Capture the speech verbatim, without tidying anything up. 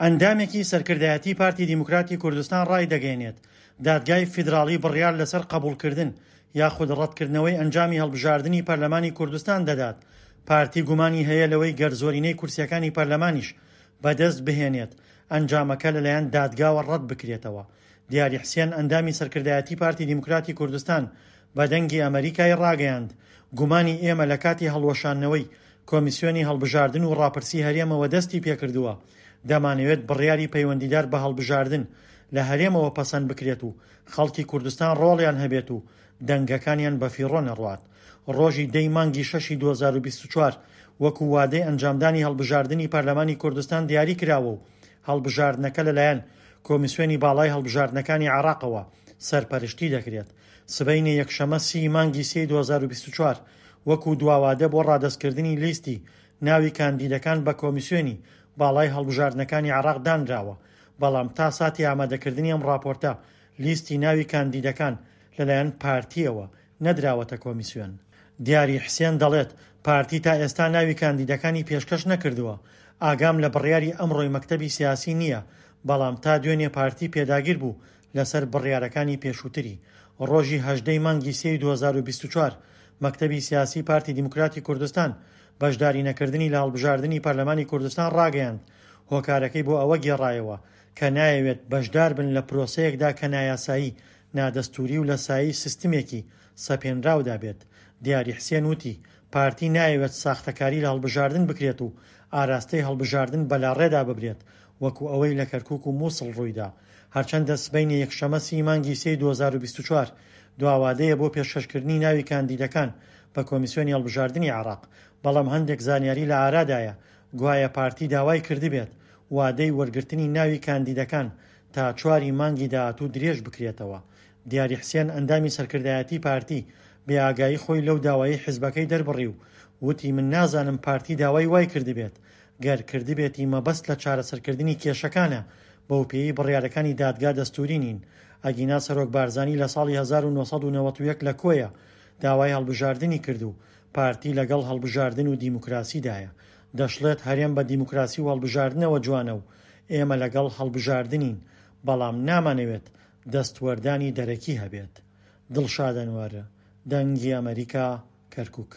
ئەندامێکی سەرکردایەتی پارتی دیموکراتی کوردستان ڕایدەگەیەنێت، دادگای فیدراڵی بڕیار لەسەر قبوڵکردن یاخود ڕەتکردنەوەی ئەنجامی هەڵبژاردنی پەرلەمانی کوردستان دەدات. پارتی گومانی هەیە لەوەی گەر زۆرینەی کورسیەکانی پەرلەمانیش بەدەست بهێنێت، ئەنجامەکە لەلایەن دادگاوە ڕەت بکرێتەوە. دیاری حسێن ئەندامی سەرکردایەتی پارتی دیموکراتی کوردستان بە دەنگی ئەمەریکای ڕاگەیاند، گومانی ئێمە لە کاتی هەڵوەشاندنەوەی کۆمیسیۆنی هەڵبژاردن و ڕاپرسی هەرێمەوە دەستی پێکردووە. دەمانەوێت بڕیاری پەیوەندیدار بە هەڵبژاردن لە هەرێمەوە پەسەند بکرێت و خەڵکی کوردستان ڕۆڵیان هەبێت و دەنگەکانیان بەفیڕۆ نەڕوات. ڕۆژی دەی مانگی شەشی دوو هەزار و بیست و چوار وەکو وادەی ئەنجامدانی هەڵبژاردنی پەرلەمانی کوردستان دیاری کراوە و هەڵبژاردنەکە لەلایەن کۆمیسیۆنی باڵای هەڵبژاردنەکانی عێراقەوە سەرپەرشتی دەکرێت. سبەینێ یەکشەممە سی مانگی سێی دوو هەزار و بیست و چوار وەکو دواوادە بۆ ڕادەستکردنی لیستی ناوی کاندیدەکان بە کۆمیسیۆنی باڵای هەڵبژاردنەکانی عێراق دانراوە، بەڵام تا ساتی ئامادەکردنی ئەم ڕاپۆرتە لیستی ناوی کاندیدەکان لەلایەن پارتیەوە نەدراوەتە کۆمیسیۆن. دیاری حسێن دەڵێت پارتی تا ئێستا ناوی کاندیدەکانی پێشکەش نەکردووە، ئاگام لە بڕیاری ئەمڕۆی مەکتەبی سیاسی نییە، بەڵام تا دوێنێ پارتی پێداگیر بوو لەسەر بڕیارەکانی پێشووتری. ڕۆژی هەژدەی مانگی سێی دوو هەزار و بیست و چوار مەکتەبی سیاسی پارتی دیموکراتی کوردستان بەشداری نەکردنی لە هەڵبژاردنی پەرلەمانی کوردستان ڕاگەیاند. هۆکارەکەی بۆ ئەوە گێڕایەوە کە نایەوێت بەشدار بن لە پرۆسەیەکدا کە نایاسایی، نادەستوری و لە سایەی سیستمێکی سەپێنراودا بێت. دیاری حسێن وتی پارتی نایەوێت ساختەکاری لە هەڵبژاردن بکرێت و ئاراستەی هەڵبژاردن بەلاڕێدا ببرێت وەکو ئەوەی لە کەرکوک و موسڵ ڕوویدا. هەرچەندە سبەینێ یەکشەممە سی مانگی سێی دوو هەزار و بیست و چوار دواوادەیە بۆ پێشکەشکردنی ناوی کاندیدەکان بە کۆمیسیۆنی هەڵبژاردنی عێراق، بەڵام هەندێک زانیاری لە ئارادایە گوایە پارتی داوای کردبێت وادەی وەرگرتنی ناوی کاندیدەکان تا چواری مانگی داهاتوو درێژ بکرێتەوە. دیاری حسێن ئەندامی سەرکردایەتی پارتی بێئاگایی خۆی لەو داوایەی حزبەکەی دەربڕی و وتی من نازانم پارتی داوای وای کردبێت، گەر کردبێتی مەبەست لە چارەسەرکردنی کێشەکانە بەو پێی بڕیارەکانی دادگا دەستوری نین. ئەگینا سەرۆک بارزانی لە ساڵی هەزار و نۆ سەد و نەوەد و یەک لە کۆیە داوای هەڵبژاردنی کرد و پارتی لەگەڵ هەڵبژاردن و دیموکراسیدایە. دەشڵێت هەرێم بە دیموکراسی و هەڵبژاردنەوە جوانە و ئێمە لەگەڵ هەڵبژاردنین، بەڵام نامانەوێت دەستوەردانی دەرەکی هەبێت. دڵشاد ئەنوەر، دەنگی ئەمەریکا، کەرکوک.